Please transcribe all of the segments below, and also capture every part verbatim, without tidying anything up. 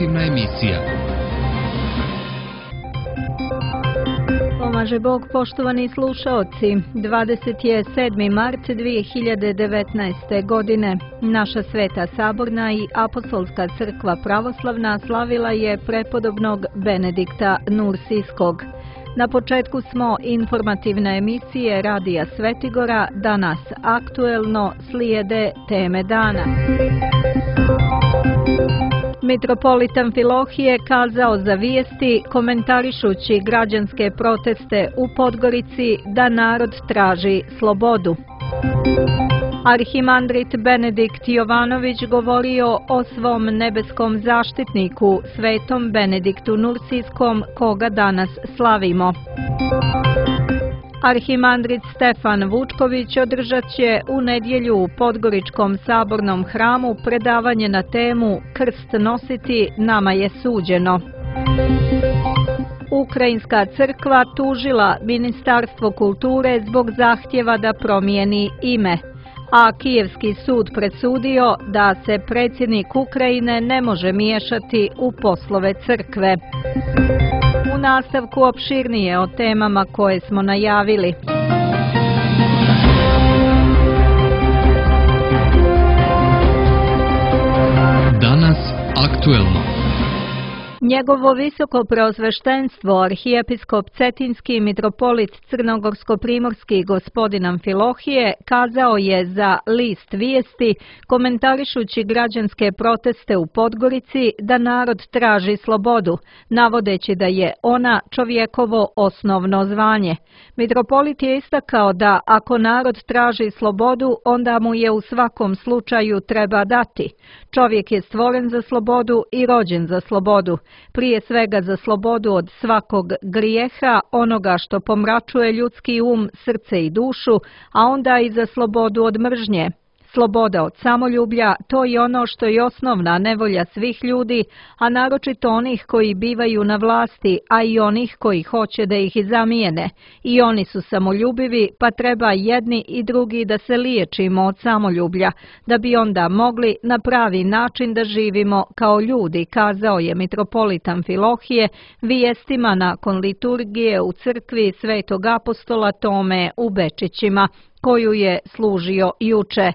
informativna emisija. Pomaže Bog, poštovani slušaoci. dvadeset sedmi mart dvije hiljade devetnaeste. godine. Naša Sveta Saborna i Apostolska crkva pravoslavna slavila je prepodobnog Benedikta Nursijskog. Na početku smo informativne emisije Radija Svetigora, danas aktuelno slijede teme dana. Mitropolit Amfilohije kazao za Vijesti, komentarišući građanske proteste u Podgorici, da narod traži slobodu. Arhimandrit Benedikt Jovanović govorio o svom nebeskom zaštitniku, svetom Benediktu Nursijskom, koga danas slavimo. Arhimandrit Stefan Vučković održat će u nedjelju u Podgoričkom sabornom hramu predavanje na temu Krst nositi, nama je suđeno. Ukrajinska crkva tužila Ministarstvo kulture zbog zahtjeva da promijeni ime, a Kijevski sud presudio da se predsjednik Ukrajine ne može miješati u poslove crkve. U nastavku opširnije o temama koje smo najavili. Danas aktuelno. Njegovo visoko preosveštenstvo, arhijepiskop Cetinski mitropolit Crnogorsko-primorski gospodin Amfilohije, kazao je za List Vijesti, komentarišući građanske proteste u Podgorici, da narod traži slobodu, navodeći da je ona čovjekovo osnovno zvanje. Mitropolit je istakao da ako narod traži slobodu, onda mu je u svakom slučaju treba dati. Čovjek je stvoren za slobodu i rođen za slobodu. Prije svega za slobodu od svakog grijeha, onoga što pomračuje ljudski um, srce i dušu, a onda i za slobodu od mržnje. Sloboda od samoljublja, to je ono što je osnovna nevolja svih ljudi, a naročito onih koji bivaju na vlasti, a i onih koji hoće da ih zamijene. I oni su samoljubivi, pa treba jedni i drugi da se liječimo od samoljublja, da bi onda mogli na pravi način da živimo kao ljudi, kazao je mitropolit Amfilohije Vijestima nakon liturgije u crkvi Svetog apostola Tome u Bečićima, koju je služio juče.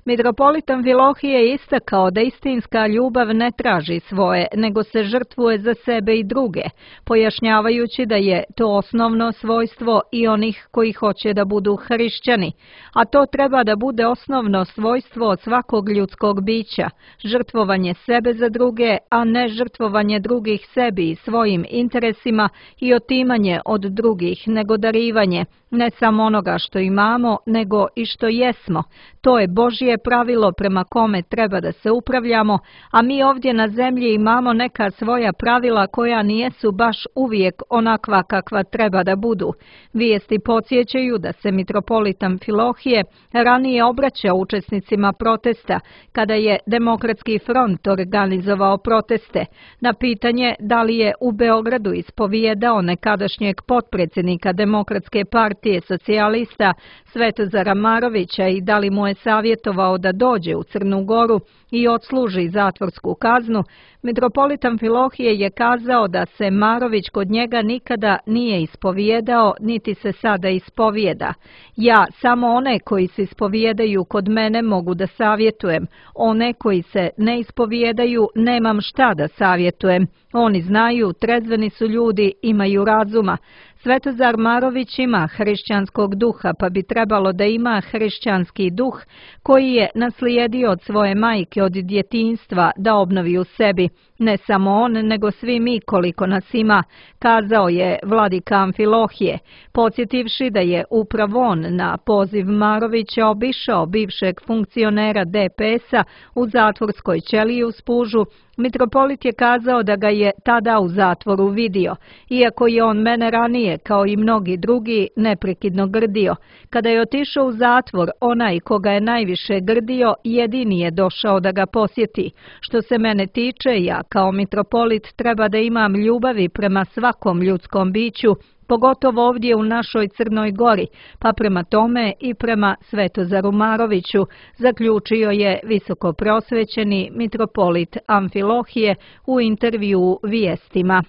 Mitropolit Amfilohije je istakao da istinska ljubav ne traži svoje, nego se žrtvuje za sebe i druge, pojašnjavajući da je to osnovno svojstvo i onih koji hoće da budu hrišćani, a to treba da bude osnovno svojstvo svakog ljudskog bića, žrtvovanje sebe za druge, a ne žrtvovanje drugih sebi i svojim interesima i otimanje od drugih, nego darivanje, ne samo onoga što imamo, nego i što jesmo. To je Božje pravilo prema kome treba da se upravljamo, a mi ovdje na zemlji imamo neka svoja pravila koja nijesu baš uvijek onakva kakva treba da budu. Vijesti podsjećaju da se mitropolit Amfilohije ranije obraćao učesnicima protesta, kada je Demokratski front organizovao proteste. Na pitanje da li je u Beogradu ispovijedao nekadašnjeg potpredsjednika Demokratske partije socijalista Svetozara Marovića i da li mu je savjetovao da dođe u Crnu Goru i odsluži zatvorsku kaznu, mitropolit Amfilohije je kazao da se Marović kod njega nikada nije ispovijedao, niti se sada ispovijeda. Ja samo one koji se ispovijedaju kod mene mogu da savjetujem, one koji se ne ispovijedaju nemam šta da savjetujem. Oni znaju, trezveni su ljudi, imaju razuma. Svetozar Marović ima hrišćanskog duha, pa bi trebalo da ima hrišćanski duh koji je naslijedio od svoje majke od djetinjstva da obnovi u sebi. Ne samo on, nego svi mi koliko nas ima, kazao je vladika Amfilohije, podsjetivši da je upravo on na poziv Marovića obišao bivšeg funkcionera D P S-a u zatvorskoj ćeliji u Spužu. Mitropolit je kazao da ga je tada u zatvoru vidio, iako je on mene ranije, kao i mnogi drugi, neprekidno grdio. Kada je otišao u zatvor, onaj koga je najviše grdio, jedini je došao da ga posjeti. Što se mene tiče, ja kao mitropolit treba da imam ljubavi prema svakom ljudskom biću, pogotovo ovdje u našoj Crnoj Gori, pa prema tome i prema Svetozaru Maroviću, zaključio je visoko prosvećeni mitropolit Amfilohije u intervjuu Vijestima.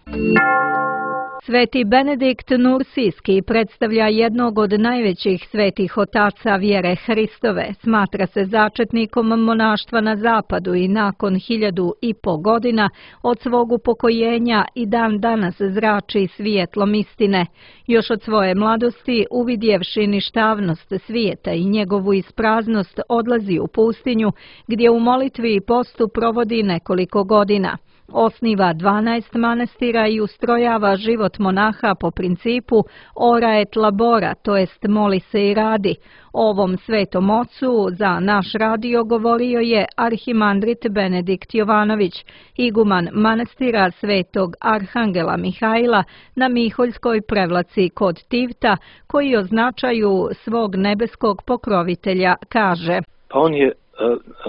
Sveti Benedikt Nursijski predstavlja jednog od najvećih svetih otaca vjere Hristove, smatra se začetnikom monaštva na zapadu i nakon hiljadu i po godina od svog upokojenja i dan danas zrači svjetlom istine. Još od svoje mladosti, uvidjevši ništavnost svijeta i njegovu ispraznost, odlazi u pustinju gdje u molitvi i postu provodi nekoliko godina. Osniva dvanaest manastira i ustrojava život monaha po principu ora et labora, to jest moli se i radi. Ovom svetom ocu za naš radio govorio je arhimandrit Benedikt Jovanović, iguman manastira Svetog Arhangela Mihajla na Miholjskoj Prevlaci kod Tivta, koji označaju svog nebeskog pokrovitelja, kaže. Pa on je,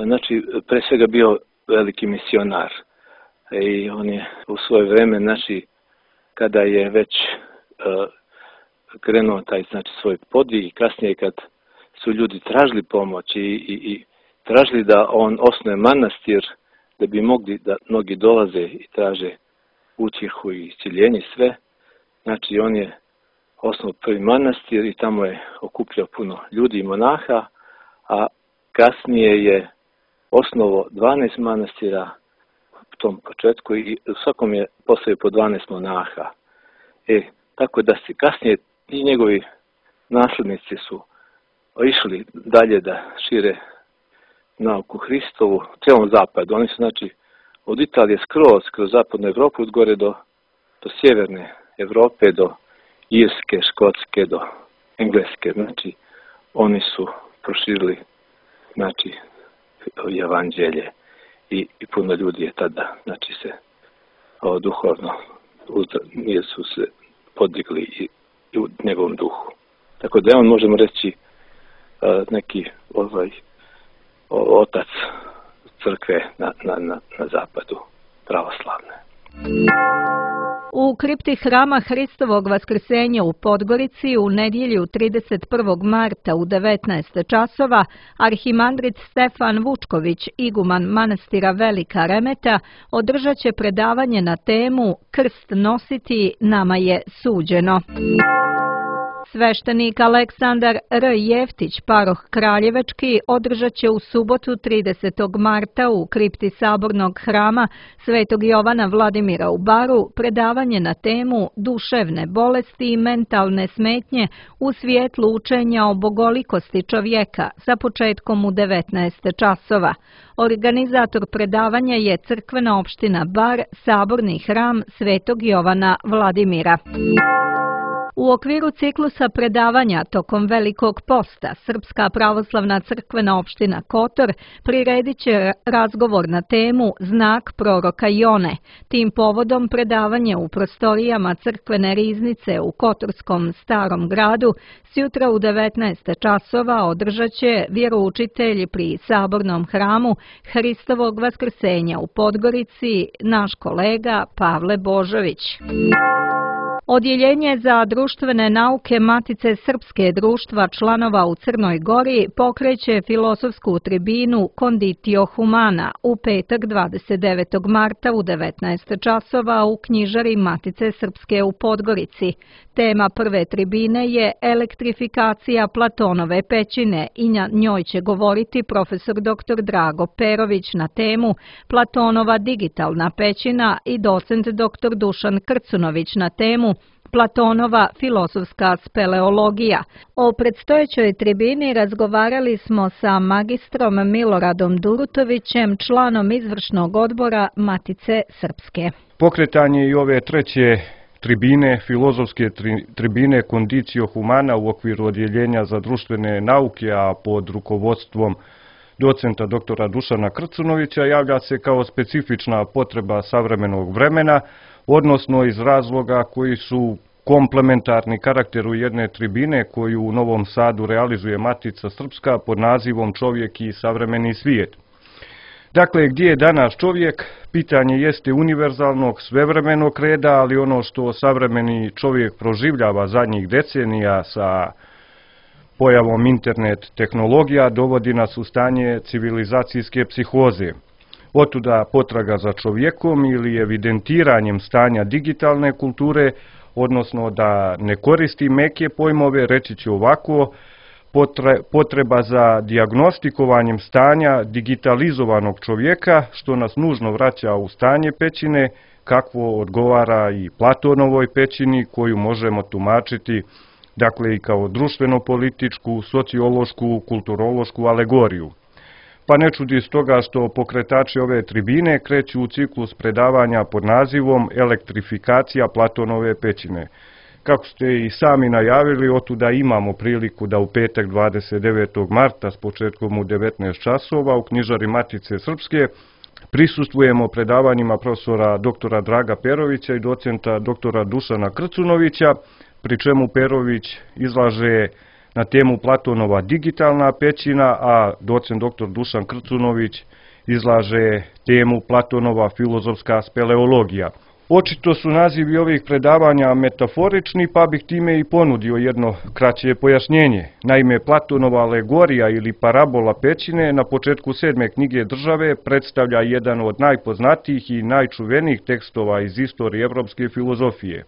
znači, pre svega bio veliki misionar. I on je u svoje vreme, znači, kada je već uh, krenuo taj, znači, svoj podvig i kasnije kad su ljudi tražili pomoć i, i, i tražili da on osnuje manastir, da bi mogli da mnogi dolaze i traže utjehu i isciljenje sve, znači on je osnovao prvi manastir i tamo je okupljao puno ljudi i monaha, a kasnije je osnovao dvanaest manastira u tom početku i u svakom je postavio po dvanaest monaha. E, tako da se kasnije i njegovi naslednici su išli dalje da šire nauku Hristovu u cijelom zapadu. Oni su, znači, od Italije skroz, kroz zapadnu Evropu, od gore do, do sjeverne Evrope, do Irske, Škotske, do Engleske. Znači, oni su proširili, znači, evanđelje. I, i puno ljudi je tada, znači, se o, duhovno su se podigli i, i u njegovom duhu. Tako da je on, možemo reći, a, neki ovaj, o, otac crkve na, na, na, na zapadu, pravoslavne. U kripti hrama Hristovog vaskrsenja u Podgorici u nedjelju trideset prvog marta u devetnaest časova arhimandrit Stefan Vučković, iguman manastira Velika Remeta, održat će predavanje na temu Krst nositi nama je suđeno. Sveštenik Aleksandar R. Jeftić, paroh Kraljevečki, održat će u subotu tridesetog marta u kripti Sabornog hrama Svetog Jovana Vladimira u Baru predavanje na temu duševne bolesti i mentalne smetnje u svijetlu učenja o bogolikosti čovjeka sa početkom u devetnaest časova. Organizator predavanja je crkvena opština Bar, Saborni hram Svetog Jovana Vladimira. U okviru ciklusa predavanja tokom Velikog posta Srpska pravoslavna crkvena opština Kotor priredit će razgovor na temu Znak proroka Jone. Tim povodom predavanje u prostorijama crkvene riznice u Kotorskom Starom gradu sjutra u devetnaest časova održat će vjeroučitelj pri Sabornom hramu Hristovog vaskrsenja u Podgorici, naš kolega Pavle Božović. Odjeljenje za društvene nauke Matice Srpske društva članova u Crnoj Gori pokreće filozofsku tribinu Conditio Humana u petak dvadeset devetog marta u devetnaest časova u knjižari Matice Srpske u Podgorici. Tema prve tribine je elektrifikacija Platonove pećine i na njoj će govoriti profesor doktor Drago Perović na temu Platonova digitalna pećina i docent doktor Dušan Krcunović na temu Platonova filozofska speleologija. O predstojećoj tribini razgovarali smo sa magistrom Miloradom Durutovićem, članom izvršnog odbora Matice Srpske. Pokretanje i ove treće tribine, filozofske tri, tribine Conditio Humana u okviru odjeljenja za društvene nauke, a pod rukovodstvom docenta doktora Dušana Krcunovića, javlja se kao specifična potreba savremenog vremena, odnosno iz razloga koji su komplementarni karakteru jedne tribine koju u Novom Sadu realizuje Matica Srpska pod nazivom Čovjek i savremeni svijet. Dakle, gdje je danas čovjek? Pitanje jeste univerzalnog, svevremenog reda, ali ono što savremeni čovjek proživljava zadnjih decenija sa pojavom internet tehnologija dovodi nas u stanje civilizacijske psihoze. Otuda potraga za čovjekom ili evidentiranjem stanja digitalne kulture, odnosno da ne koristi meke pojmove, reći ću ovako, potreba za dijagnostikovanjem stanja digitalizovanog čovjeka, što nas nužno vraća u stanje pećine, kakvo odgovara i Platonovoj pećini, koju možemo tumačiti dakle i kao društveno-političku, sociološku, kulturološku alegoriju. Pa ne čudi stoga što pokretači ove tribine kreću u ciklus predavanja pod nazivom Elektrifikacija Platonove pećine. Kako ste i sami najavili, otuda imamo priliku da u petak dvadeset devetog marta s početkom u devetnaest časova u knjižari Matice Srpske prisustvujemo predavanjima profesora doktora Draga Perovića i docenta doktora Dušana Krcunovića, pri čemu Perović izlaže na temu Platonova digitalna pećina, a docent doktor Dušan Krcunović izlaže temu Platonova filozofska speleologija. Očito su nazivi ovih predavanja metaforični, pa bih time i ponudio jedno kraće pojašnjenje. Naime, Platonova alegorija ili parabola pećine na početku sedme knjige Države predstavlja jedan od najpoznatijih i najčuvenijih tekstova iz istorije evropske filozofije.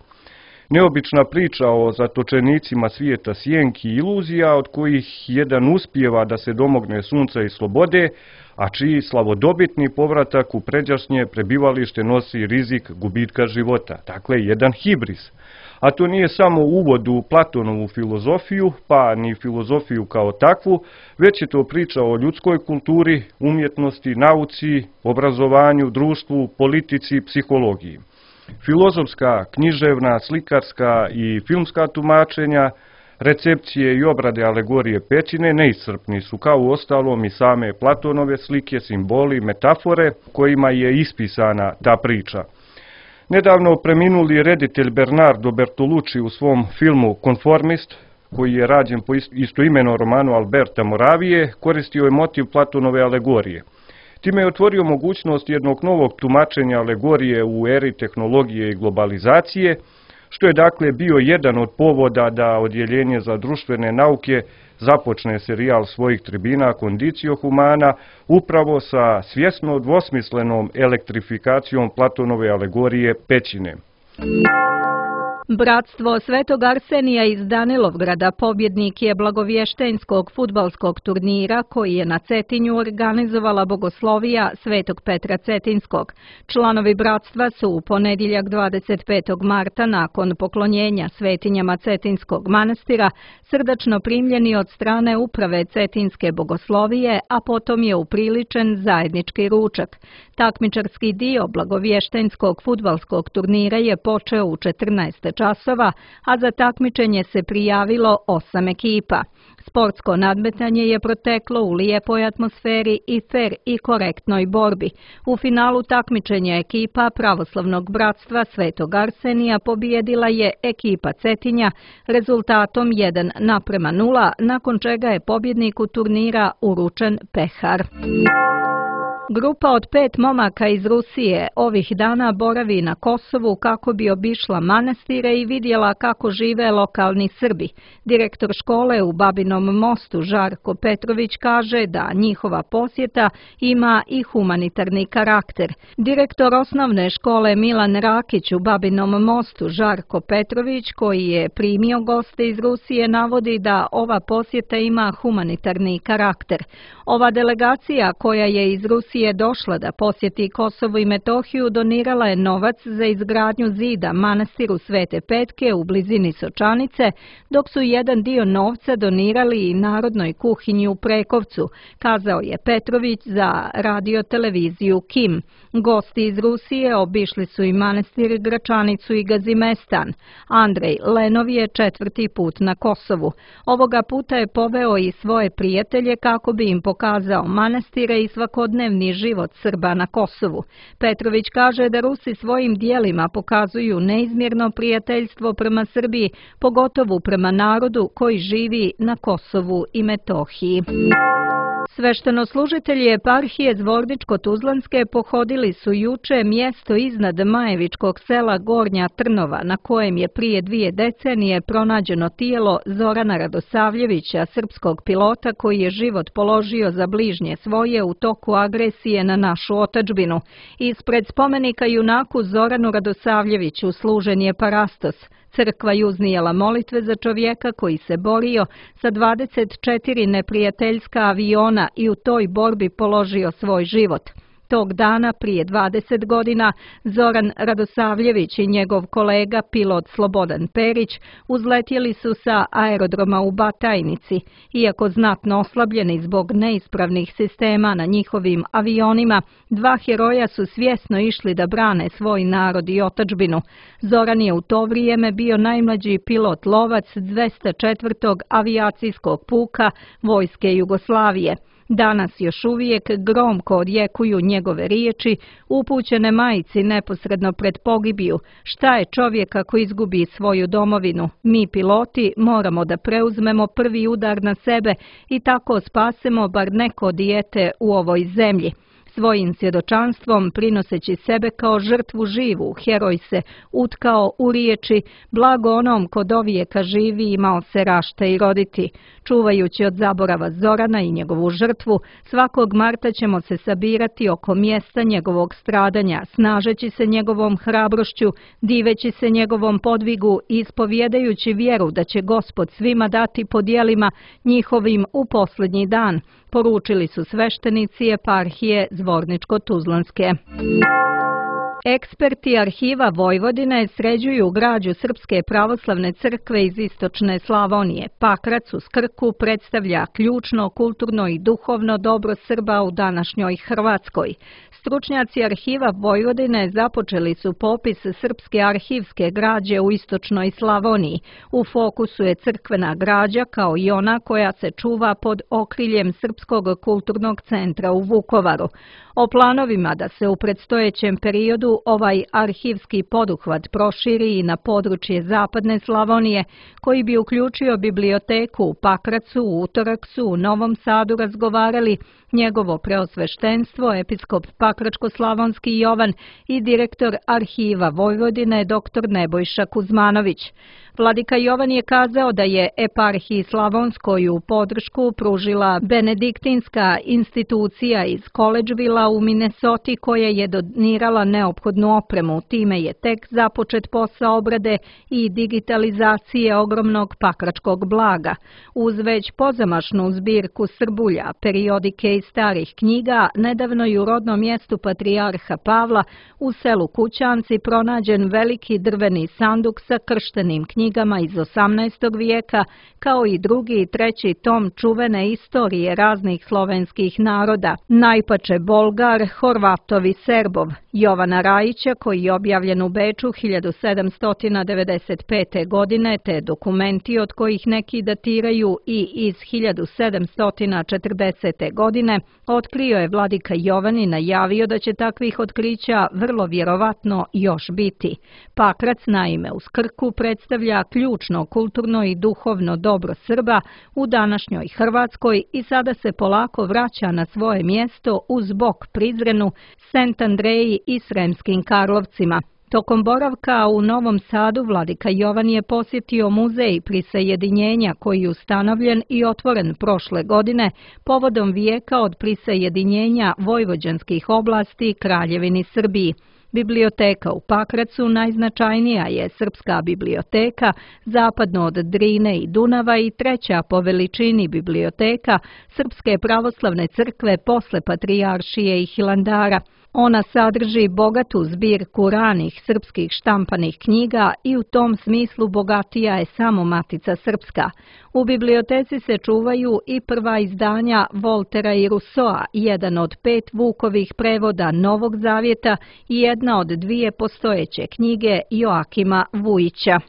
Neobična priča o zatočenicima svijeta sjenki i iluzija, od kojih jedan uspijeva da se domogne sunca i slobode, a čiji slavodobitni povratak u pređašnje prebivalište nosi rizik gubitka života. Dakle, jedan hibris. A to nije samo uvod u Platonovu filozofiju, pa ni filozofiju kao takvu, već je to priča o ljudskoj kulturi, umjetnosti, nauci, obrazovanju, društvu, politici, psihologiji. Filozofska, književna, slikarska i filmska tumačenja, recepcije i obrade alegorije pećine neiscrpni su, kao u ostalom i same Platonove slike, simboli, metafore kojima je ispisana ta priča. Nedavno preminuli reditelj Bernardo Bertolucci u svom filmu Konformist, koji je rađen po istoimenom romanu Alberta Moravije, koristio je motiv Platonove alegorije. Time je otvorio mogućnost jednog novog tumačenja alegorije u eri tehnologije i globalizacije, što je dakle bio jedan od povoda da Odjeljenje za društvene nauke započne serijal svojih tribina Condicio Humana upravo sa svjesno dvosmislenom elektrifikacijom Platonove alegorije pećine. Bratstvo Svetog Arsenija iz Danilovgrada pobjednik je blagovještenskog fudbalskog turnira koji je na Cetinju organizovala Bogoslovija Svetog Petra Cetinskog. Članovi bratstva su u ponedjeljak dvadeset petog marta nakon poklonjenja svetinjama Cetinskog manastira srdačno primljeni od strane uprave Cetinske Bogoslovije, a potom je upriličen zajednički ručak. Takmičarski dio blagovještenskog fudbalskog turnira je počeo u četrnaest časova, a za takmičenje se prijavilo osam ekipa. Sportsko nadmetanje je proteklo u lijepoj atmosferi i fer i korektnoj borbi. U finalu takmičenja ekipa Pravoslavnog bratstva Svetog Arsenija pobijedila je ekipa Cetinja rezultatom jedan naprema nula, nakon čega je pobjedniku turnira uručen pehar. Grupa od pet momaka iz Rusije ovih dana boravi na Kosovu kako bi obišla manastire i vidjela kako žive lokalni Srbi. Direktor škole u Babinom Mostu Žarko Petrović kaže da njihova posjeta ima i humanitarni karakter. Direktor osnovne škole Milan Rakić u Babinom Mostu Žarko Petrović, koji je primio goste iz Rusije, navodi da ova posjeta ima humanitarni karakter. Ova delegacija koja je iz Rusije je došla da posjeti Kosovo i Metohiju, donirala je novac za izgradnju zida manastiru Svete Petke u blizini Sočanice, dok su jedan dio novca donirali i Narodnoj kuhinji u Prekovcu, kazao je Petrović za radio-televiziju Kim. Gosti iz Rusije obišli su i manastir Gračanicu i Gazimestan. Andrej Lenov je četvrti put na Kosovu. Ovoga puta je poveo i svoje prijatelje kako bi im pokazao manastire i svakodnevni život Srba na Kosovu. Petrović kaže da Rusi svojim dijelima pokazuju neizmjerno prijateljstvo prema Srbiji, pogotovo prema narodu koji živi na Kosovu i Metohiji. Sveštenoslužitelji eparhije Zvorničko-Tuzlanske pohodili su juče mjesto iznad Majevičkog sela Gornja Trnova, na kojem je prije dvije decenije pronađeno tijelo Zorana Radosavljevića, srpskog pilota koji je život položio za bližnje svoje u toku agresije na našu otadžbinu. Ispred spomenika junaku Zoranu Radosavljeviću služen je parastos. Crkva je uznijela molitve za čovjeka koji se borio sa dvadeset četiri neprijateljska aviona i u toj borbi položio svoj život. Tog dana, prije dvadeset godina, Zoran Radosavljević i njegov kolega, pilot Slobodan Perić, uzletjeli su sa aerodroma u Batajnici. Iako znatno oslabljeni zbog neispravnih sistema na njihovim avionima, dva heroja su svjesno išli da brane svoj narod i otadžbinu. Zoran je u to vrijeme bio najmlađi pilot lovac dvesta četvrtog avijacijskog puka Vojske Jugoslavije. Danas još uvijek gromko odjekuju njegove riječi, upućene majci neposredno pred pogibiju. Šta je čovjek ako izgubi svoju domovinu? Mi piloti moramo da preuzmemo prvi udar na sebe i tako spasemo bar neko dijete u ovoj zemlji. Svojim svjedočanstvom, prinoseći sebe kao žrtvu živu, heroj se utkao u riječi blago onom ko dovijeka živi imao se rašta i roditi. Čuvajući od zaborava Zorana i njegovu žrtvu, svakog marta ćemo se sabirati oko mjesta njegovog stradanja, snažeći se njegovom hrabrošću, diveći se njegovom podvigu i ispovjedajući vjeru da će Gospod svima dati po djelima njihovim u posljednji dan, poručili su sveštenici eparhije Zvorničko-Tuzlanske. Eksperti Arhiva Vojvodine sređuju građu Srpske pravoslavne crkve iz istočne Slavonije. Pakrac uz Krku predstavlja ključno kulturno i duhovno dobro Srba u današnjoj Hrvatskoj. Stručnjaci Arhiva Vojvodine započeli su popis srpske arhivske građe u istočnoj Slavoniji. U fokusu je crkvena građa kao i ona koja se čuva pod okriljem Srpskog kulturnog centra u Vukovaru. O planovima da se u predstojećem periodu ovaj arhivski poduhvat proširi i na područje zapadne Slavonije, koji bi uključio biblioteku u Pakracu, u utorak su u Novom Sadu razgovarali njegovo preosveštenstvo, episkop Pakračko-slavonski Jovan i direktor Arhiva Vojvodine dr. Nebojša Kuzmanović. Vladika Jovan je kazao da je eparhiji Slavonskoj u podršku pružila benediktinska institucija iz Collegevilla u Minnesoti koja je donirala neophodnu opremu. Time je tek započet posao obrade i digitalizacije ogromnog pakračkog blaga. Uz već pozamašnu zbirku srbulja, periodike i starih knjiga, nedavno je u rodnom mjestu Patrijarha Pavla u selu Kućanci pronađen veliki drveni sanduk sa krštenim knjigama iz osamnaestog vijeka, kao i drugi i treći tom čuvene istorije raznih slovenskih naroda, najpače Bolgar, Horvatov i Serbov, Jovana Rajića, koji je objavljen u Beču hiljadu sedamsto devedeset pete. godine, te dokumenti od kojih neki datiraju i iz hiljadu sedamsto četrdesete. godine, otkrio je vladika Jovan i najavio da će takvih otkrića vrlo vjerovatno još biti. Pakrac, naime, uz Krku predstavlja ključno kulturno i duhovno dobro Srba u današnjoj Hrvatskoj i sada se polako vraća na svoje mjesto uz bok Prizrenu, Sent Andreji i Sremskim Karlovcima. Tokom boravka u Novom Sadu vladika Jovan je posjetio muzej prisajedinjenja koji je ustanovljen i otvoren prošle godine povodom vijeka od prisajedinjenja vojvođanskih oblasti Kraljevini Srbiji. Biblioteka u Pakracu najznačajnija je srpska biblioteka, zapadno od Drine i Dunava i treća po veličini biblioteka Srpske pravoslavne crkve posle Patrijaršije i Hilandara. Ona sadrži bogatu zbirku ranih srpskih štampanih knjiga i u tom smislu bogatija je samo Matica Srpska. U biblioteci se čuvaju i prva izdanja Voltera i Rusoa, jedan od pet Vukovih prevoda Novog Zavjeta i jedna od dvije postojeće knjige Joakima Vujića.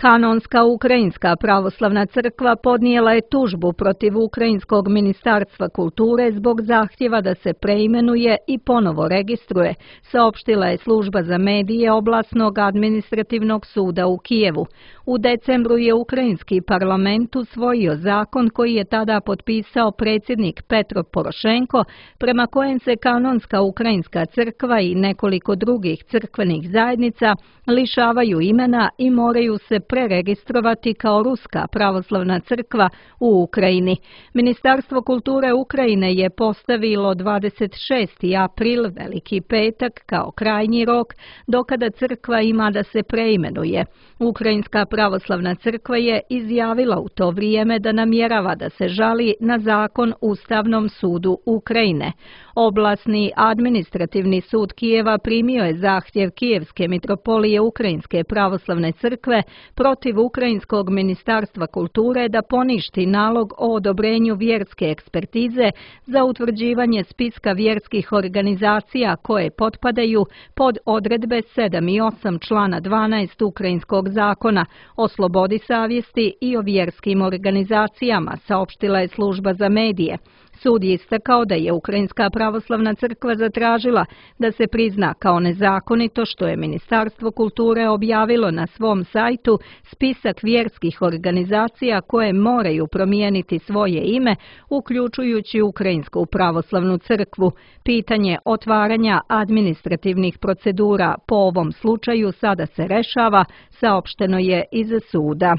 Kanonska Ukrajinska pravoslavna crkva podnijela je tužbu protiv Ukrajinskog ministarstva kulture zbog zahtjeva da se preimenuje i ponovo registruje, saopštila je služba za medije Oblasnog administrativnog suda u Kijevu. U decembru je Ukrajinski parlament usvojio zakon koji je tada potpisao predsjednik Petro Porošenko, prema kojem se Kanonska Ukrajinska crkva i nekoliko drugih crkvenih zajednica lišavaju imena i moraju se preregistrovati kao Ruska pravoslavna crkva u Ukrajini. Ministarstvo kulture Ukrajine je postavilo dvadeset šesti april, Veliki petak, kao krajnji rok do kada crkva ima da se preimenuje. Ukrajinska pravoslavna crkva je izjavila u to vrijeme da namjerava da se žali na zakon Ustavnom sudu Ukrajine. Oblasni administrativni sud Kijeva primio je zahtjev Kijevske mitropolije Ukrajinske pravoslavne crkve protiv Ukrajinskog ministarstva kulture da poništi nalog o odobrenju vjerske ekspertize za utvrđivanje spiska vjerskih organizacija koje potpadaju pod odredbe sedam i osam člana dvanaest Ukrajinskog zakona o slobodi savjesti i o vjerskim organizacijama, saopštila je služba za medije. Sud je istakao da je Ukrajinska pravoslavna crkva zatražila da se prizna kao nezakonito što je Ministarstvo kulture objavilo na svom sajtu spisak vjerskih organizacija koje moraju promijeniti svoje ime, uključujući Ukrajinsku pravoslavnu crkvu. Pitanje otvaranja administrativnih procedura po ovom slučaju sada se rešava, saopšteno je iz suda.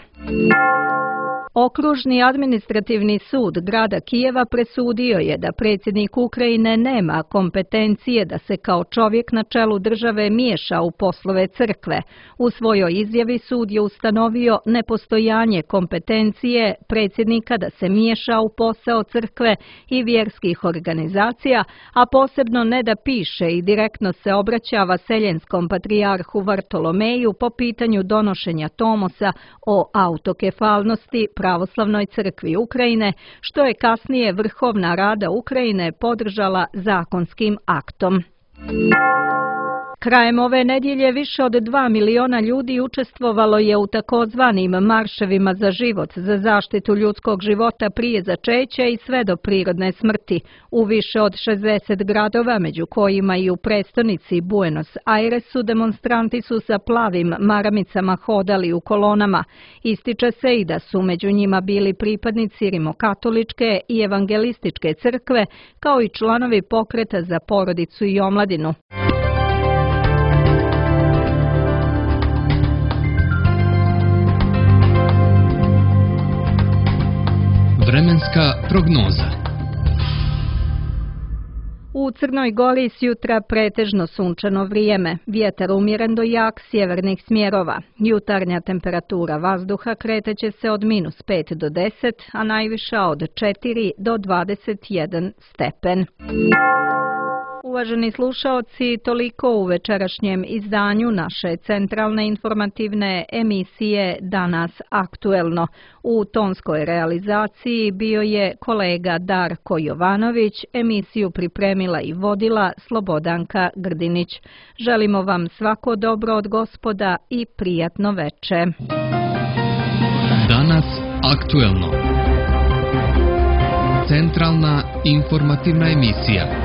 Okružni administrativni sud grada Kijeva presudio je da predsjednik Ukrajine nema kompetencije da se kao čovjek na čelu države miješa u poslove crkve. U svojoj izjavi sud je ustanovio nepostojanje kompetencije predsjednika da se miješa u posao crkve i vjerskih organizacija, a posebno ne da piše i direktno se obraća vaseljenskom patrijarhu Vartolomeju po pitanju donošenja tomosa o autokefalnosti Pravoslavnoj crkvi Ukrajine, što je kasnije Vrhovna Rada Ukrajine podržala zakonskim aktom. Krajem ove nedjelje više od dva miliona ljudi učestvovalo je u takozvanim marševima za život, za zaštitu ljudskog života prije začeća i sve do prirodne smrti. U više od šezdeset gradova, među kojima i u prestonici Buenos Airesu, demonstranti su sa plavim maramicama hodali u kolonama. Ističe se i da su među njima bili pripadnici rimokatoličke i evangelističke crkve, kao i članovi pokreta za porodicu i omladinu. Vremenska prognoza. U Crnoj Gori s jutra pretežno sunčano vrijeme, vjetar umjeren do jak sjevernih smjerova. Jutarnja temperatura vazduha kreteće se od minus pet do deset, a najviša od četiri do dvadeset jedan stepen. Uvaženi slušaoci, toliko u večerašnjem izdanju naše centralne informativne emisije Danas aktuelno. U tonskoj realizaciji bio je kolega Darko Jovanović, emisiju pripremila i vodila Slobodanka Grdinić. Želimo vam svako dobro od Gospoda i prijatno veče. Danas aktuelno. Centralna informativna emisija.